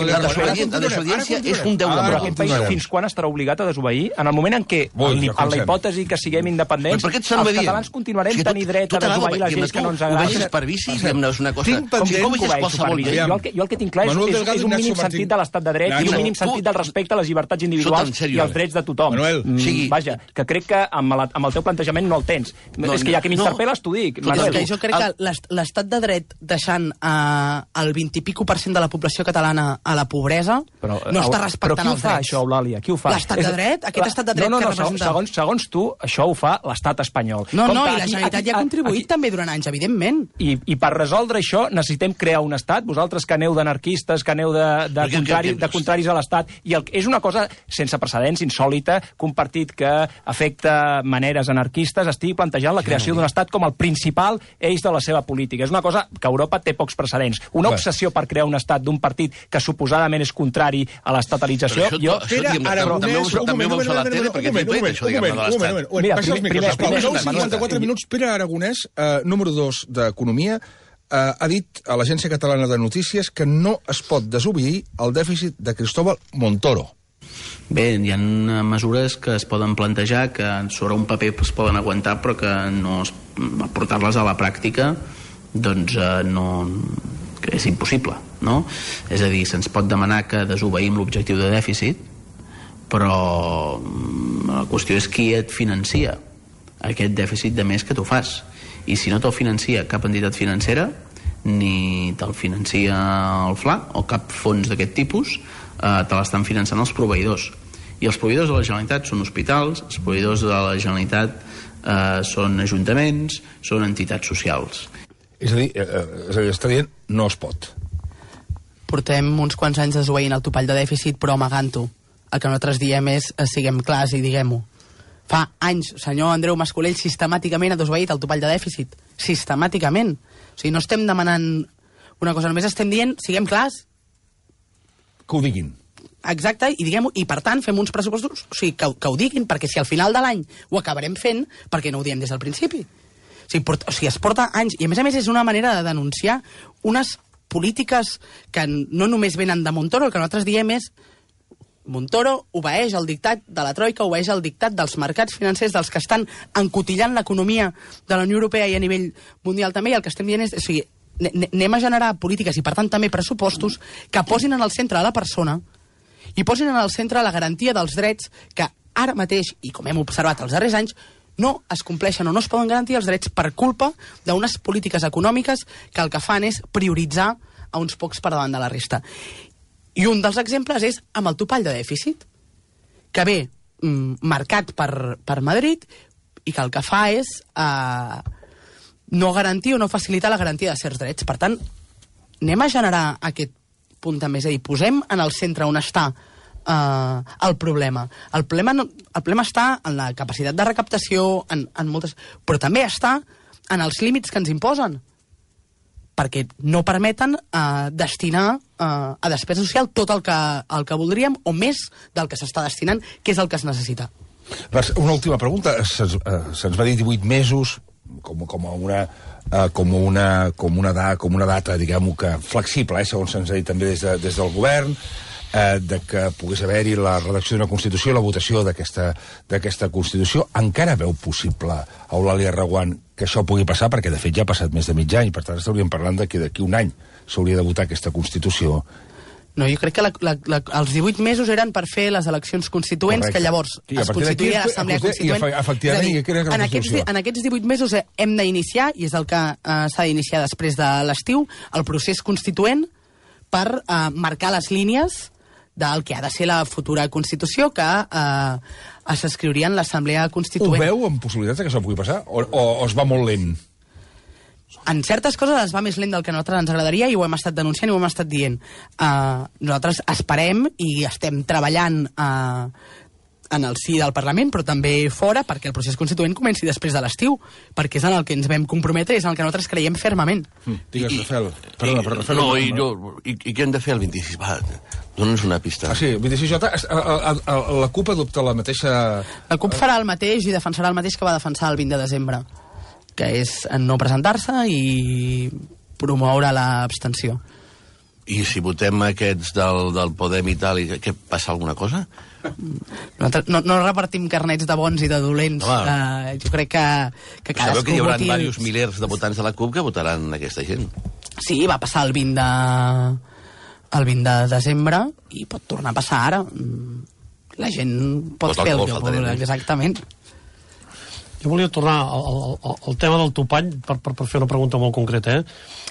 la desobediència és un deure. Però aquest país fins quan estarà obligat a desobeir? En el moment en què, en la hipòtesi que siguem independents, els catalans continuarem tenint dret a desobeir les lleis que no ens agraden. Ho vegis per vici, diguem-ne, és una cosa... Com que qualsevol llei. Jo el que tinc clar és un mínim sentit de l'estat de dret i un mínim sentit del respecte a les llibertats individuals i als drets de tothom. Vaja, que crec que amb el teu plantejament no el tens. És que ja que m'interpel·les t'ho dic. Jo crec que l'estat de dret deixant el 20 i pico % de la població catalana a la pobresa no està respectant els drets. Però qui ho fa, això, Eulàlia? Qui ho fa? L'estat de dret? Aquest estat de dret que representa... Segons tu, això ho fa l'estat espanyol. No, i la Generalitat ja ha contribuït també durant anys, evidentment. I per resoldre això necessitem crear un estat? Vosaltres que aneu d'anarquistes, que aneu de contraris a l'estat, i és una cosa sense precedents, insòlita, que un partit que afecta maneres anarquistes estigui plantejant la creació d'un estat com el principal eix de la seva política. És una cosa que Europa té pocs precedents. Una obsessió per crear un estat d'un partit que suposadament és contrari a l'estatalització. També ho veus a la tele, perquè t'hi plec això, diguem-ne, de l'estat. Mira, primer, 54 minuts, Pere Aragonès, número 2 d'Economia, ha dit a l'Agència Catalana de Notícies que no es pot desobeir el dèficit de Cristóbal Montoro. Bé, hi ha mesures que es poden plantejar, que sobre un paper es poden aguantar, però que portar-les a la pràctica doncs és impossible, no? És a dir, se'ns pot demanar que desobeïm l'objectiu de dèficit, però la qüestió és qui et financia aquest dèficit de més que tu fas. I si no te'l financia cap entitat financera, ni te'l financia el FLA o cap fons d'aquest tipus, te l'estan finançant els proveïdors. I els proveïdors de la Generalitat són hospitals, els proveïdors de la Generalitat són ajuntaments, són entitats socials. És a dir, està dient no es pot. Portem uns quants anys desobeint el topall de dèficit, però amagant-ho. El que nosaltres diem és siguem clars i diguem-ho. Fa anys, senyor Andreu Mascolell sistemàticament ha desobeït el topall de dèficit. Sistemàticament. O sigui, no estem demanant una cosa, només estem dient siguem clars. Que ho diguin. Exacte, i diguem-ho, i per tant fem uns pressupostos, o sigui, que ho diguin, perquè si al final de l'any ho acabarem fent, perquè no ho diem des del principi. O sigui, es porta anys, i a més és una manera de denunciar unes polítiques que no només venen de Montoro, el que nosaltres diem és Montoro obeeix el dictat de la Troika, obeeix el dictat dels mercats financers, dels que estan encotillant l'economia de la Unió Europea i a nivell mundial també, i el que estem dient és, o sigui, anem a generar polítiques i per tant també pressupostos que posin en el centre la persona i posin en el centre la garantia dels drets que ara mateix, i com hem observat els darrers anys, no es compleixen o no es poden garantir els drets per culpa d'unes polítiques econòmiques que el que fan és prioritzar a uns pocs per davant de la resta. I un dels exemples és amb el topall de dèficit, que ve marcat per Madrid i que el que fa és no garantir o no facilitar la garantia de certs drets. Per tant, anem a generar aquest punt també, és a dir, posem en el centre on està el problema. El problema està en la capacitat de recaptació, en moltes, però també està en els límits que ens imposen, perquè no permeten destinar a despesa social tot el que voldríem o més del que s'està destinant, que és el que es necessita. Una última pregunta. Se'ns va dir 18 mesos com una data, diguem-ho, que flexible, segons se'ns ha dit també des del govern, de que pogués haver-hi la redacció d'una Constitució i la votació d'aquesta Constitució. Encara veu possible, Eulàlia Reguant, que això pugui passar? Perquè, de fet, ja ha passat més de mig any, per tant, estaríem parlant que d'aquí un any s'hauria de votar aquesta Constitució. No, jo crec que els 18 mesos eren per fer les eleccions constituents, que llavors es constituïa l'Assemblea Constituent. En aquests 18 mesos hem d'iniciar, i és el que s'ha d'iniciar després de l'estiu, el procés constituent per marcar les línies del que ha de ser la futura Constitució, que s'escriuria en l'Assemblea Constituent. Ho veu amb possibilitats que això pugui passar? O es va molt lent? En certes coses es va més lent del que a nosaltres ens agradaria i ho hem estat denunciant i ho hem estat dient. Nosaltres esperem i estem treballant en el si del Parlament, però també fora, perquè el procés constituent comenci després de l'estiu, perquè és en el que ens vam comprometre i és en el que nosaltres creiem fermament. Digues, Rafael. I què hem de fer el 26? Va, dona'ns una pista. Sí, el 26J, la CUP adopta la mateixa... La CUP farà el mateix i defensarà el mateix que va defensar el 20 de desembre, que és no presentar-se i promoure l'abstenció. I si votem aquests del Podem i tal, què passa alguna cosa? No repartim carnets de bons i de dolents. Jo crec que cadascú sabeu que hi haurà diversos milers de votants de la CUP que votaran aquesta gent? Sí, va passar el 20 de desembre i pot tornar a passar ara. La gent pot fer el que vol, exactament. Jo volia tornar al tema del topall per fer una pregunta molt concreta,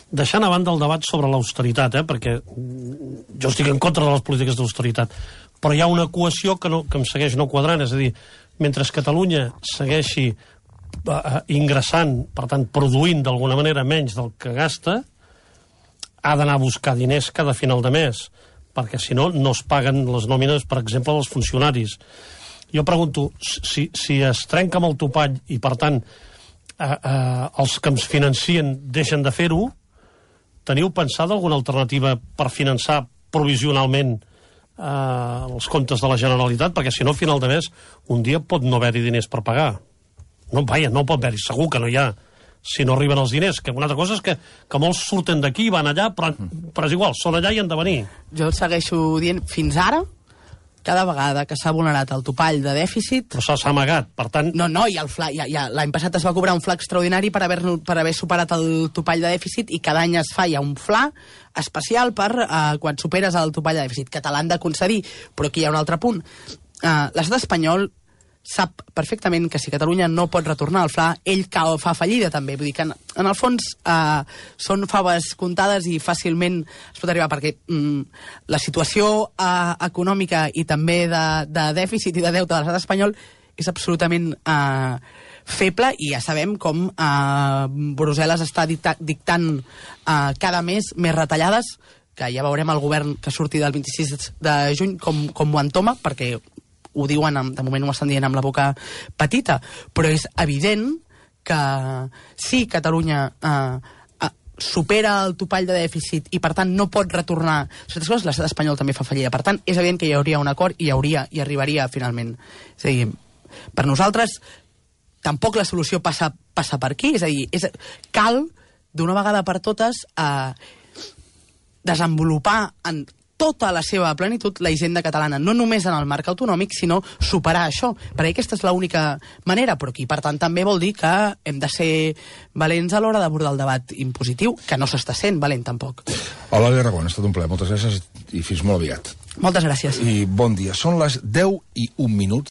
deixant a banda el debat sobre l'austeritat, perquè jo estic en contra de les polítiques d'austeritat, però hi ha una equació que em segueix no quadrant, és a dir, mentre Catalunya segueixi ingressant, per tant, produint d'alguna manera menys del que gasta, ha d'anar a buscar diners cada final de mes, perquè si no, no es paguen les nòmines, per exemple, dels funcionaris. Jo pregunto, si es trenca amb el topall i, per tant, els que ens financien deixen de fer-ho, teniu pensada alguna alternativa per finançar provisionalment els comptes de la Generalitat? Perquè, si no, a final de mes, un dia pot no haver-hi diners per pagar. No pot haver-hi, segur que no hi ha, si no arriben els diners. Que una altra cosa és que molts surten d'aquí, van allà, però és igual, són allà i han de venir. Jo el segueixo dient, fins ara, cada vegada que s'ha vulnerat el topall de dèficit... Però s'ha amagat, per tant... No, i l'any passat es va cobrar un fla extraordinari per haver superat el topall de dèficit i cada any es fa ja un fla especial per quan superes el topall de dèficit, que te l'han de concedir. Però aquí hi ha un altre punt. L'estat espanyol sap perfectament que si Catalunya no pot retornar al fla, ell fa fallida també. Vull dir que en el fons són faves comptades i fàcilment es pot arribar, perquè la situació econòmica i també de dèficit i de deute de l'estat espanyol és absolutament feble, i ja sabem com Brussel·les està dictant cada mes més retallades, que ja veurem el govern que surti del 26 de juny com ho entoma, perquè ho diuen, de moment ho estan dient amb la boca petita, però és evident que si Catalunya supera el topall de dèficit i per tant no pot retornar certes coses, l'estat espanyol també fa fallida. Per tant, és evident que hi hauria un acord i arribaria finalment. És a dir, per nosaltres tampoc la solució passa per aquí, és a dir, cal d'una vegada per totes desenvolupar en tota la seva plenitud la hisenda catalana, no només en el marc autonòmic, sinó superar això, perquè aquesta és l'única manera, però aquí, per tant, també vol dir que hem de ser valents a l'hora d'abordar el debat impositiu, que no s'està sent valent, tampoc. Eulàlia Reguant, ha estat un plaer, moltes gràcies i fins molt aviat. Moltes gràcies. I bon dia. Són les 10:01.